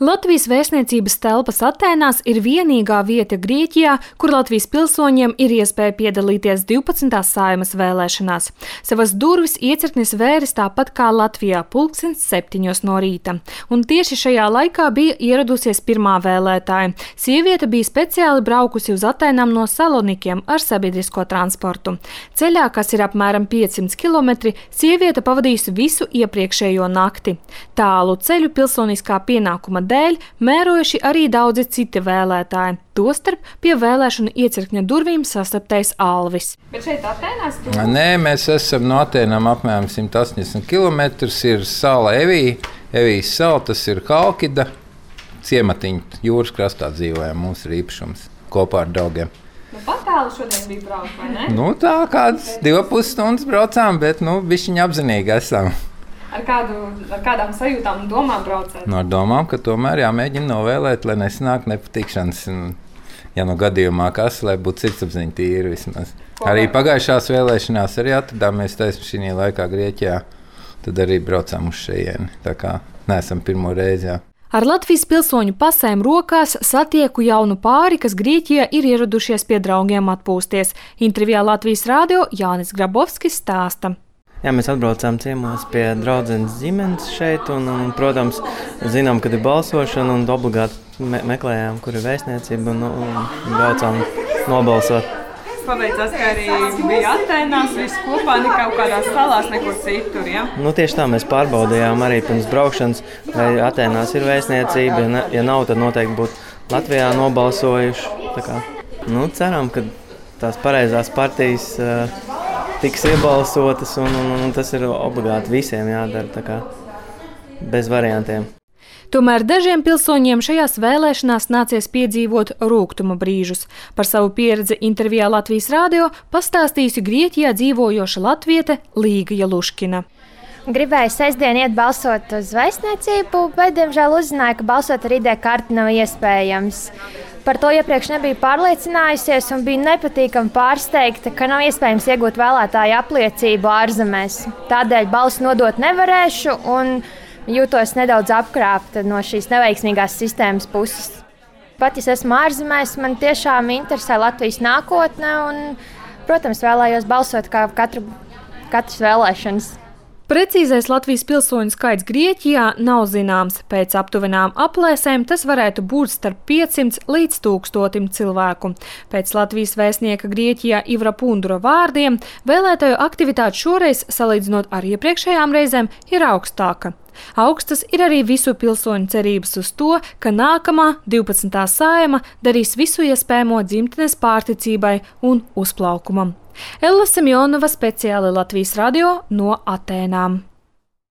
Latvijas vēstniecības telpas Atēnās ir vienīgā vieta Grieķijā, kur Latvijas pilsoņiem ir iespēja piedalīties 12. Saeimas vēlēšanās. Savas durvis iecirknis vēris tāpat kā Latvijā 7:00 no rīta. Un tieši šajā laikā bija ieradusies pirmā vēlētāja. Sieviete bija speciāli braukusi uz Atēnām no Salonikiem ar sabiedrisko transportu. Ceļā, kas ir apmēram 500 km, sieviete pavadījusi visu iepriekšējo nakti. Tālu ceļu pilsoniskā pienākuma dēļ mērojuši arī daudzi citi vēlētāji. Tostarp pie vēlēšanu iecirkņa durvīm sastaptais Alvis. Bet šeit Atēnās? Nē, mēs esam no Atēnām apmēram 180 km. Ir sala Evijas sala, tas ir Halkida ciematiņa. Jūras krastā dzīvojam, mums ir īpašums kopā ar draugiem. Pat tālu šodien bija braukt, vai ne? Tā kādas 2,5 stundas braucām, bet bišķiņ apzinīgi esam. Ar kādām sajūtām un domām braucēt? Ar domām, ka tomēr jāmēģina novēlēt, lai nesanāk nepatikšanas. Ja gadījumā kas, lai būtu sirdsapziņa tīra vismaz. Arī pagājušās vēlēšanās arī atradāmies šī laikā Grieķijā. Tad arī braucām uz šejieni. Tā kā neesam pirmo reizi. Jā. Ar Latvijas pilsoņu pasēm rokās satieku jaunu pāri, kas Grieķijā ir ieradušies pie draugiem atpūsties. Intervijā Latvijas Rādio Jānis Grabovskis stāsta. Jā, mēs atbraucām ciemos pie draudzenes ģimenes šeit un, protams, zinām, kad ir balsošana un obligāti meklējām, kur ir vēstniecība un braucām nobalsot. Paveicās, ka arī bija Atēnās, viss kopā, ne kaut kādās salās, nekur citur, ja? Tieši tā, mēs pārbaudījām arī pirms braukšanas, vai Atēnās ir vēstniecība, ja nav, tad noteikti būtu Latvijā nobalsojuši. Tā kā, ceram, ka tās pareizās partijas tiks iebalsotas, un tas ir obligāti visiem jādara, tā kā bez variantiem. Tomēr dažiem pilsoņiem šajās vēlēšanās nācies piedzīvot rūgtuma brīžus. Par savu pieredzi intervijā Latvijas Rādio pastāstījusi Grieķijā dzīvojoša latviete Līga Jaluškina. Gribēju sestdien iet balsot uz vēstniecību, bet, diemžēl, uzzināju, ka balsot ar ID karti nav iespējams. Par to iepriekš nebiju pārliecinājusies un biju nepatīkami pārsteigta, ka nav iespējams iegūt vēlētāju apliecību ārzemēs. Tādēļ balsu nodot nevarēšu un jūtos nedaudz apkrāpta no šīs neveiksmīgās sistēmas puses. Pat ja esmu ārzemēs, man tiešām interesē Latvijas nākotne un, protams, vēlējos balsot kā katras vēlēšanas. Precīzais Latvijas pilsoņu skaits Grieķijā nav zināms. Pēc aptuvenām aplēsēm tas varētu būt starp 500 līdz 1000 cilvēku. Pēc Latvijas vēstnieka Grieķijā Ivra Pundura vārdiem vēlētāju aktivitāte šoreiz, salīdzinot ar iepriekšējām reizēm, ir augstāka. Augstas ir arī visu pilsoņu cerības uz to, ka nākamā 12. Saeima darīs visu iespējamo dzimtenes pārticībai un uzplaukumam. Ella Semjonova speciāli Latvijas Radio no Atēnām.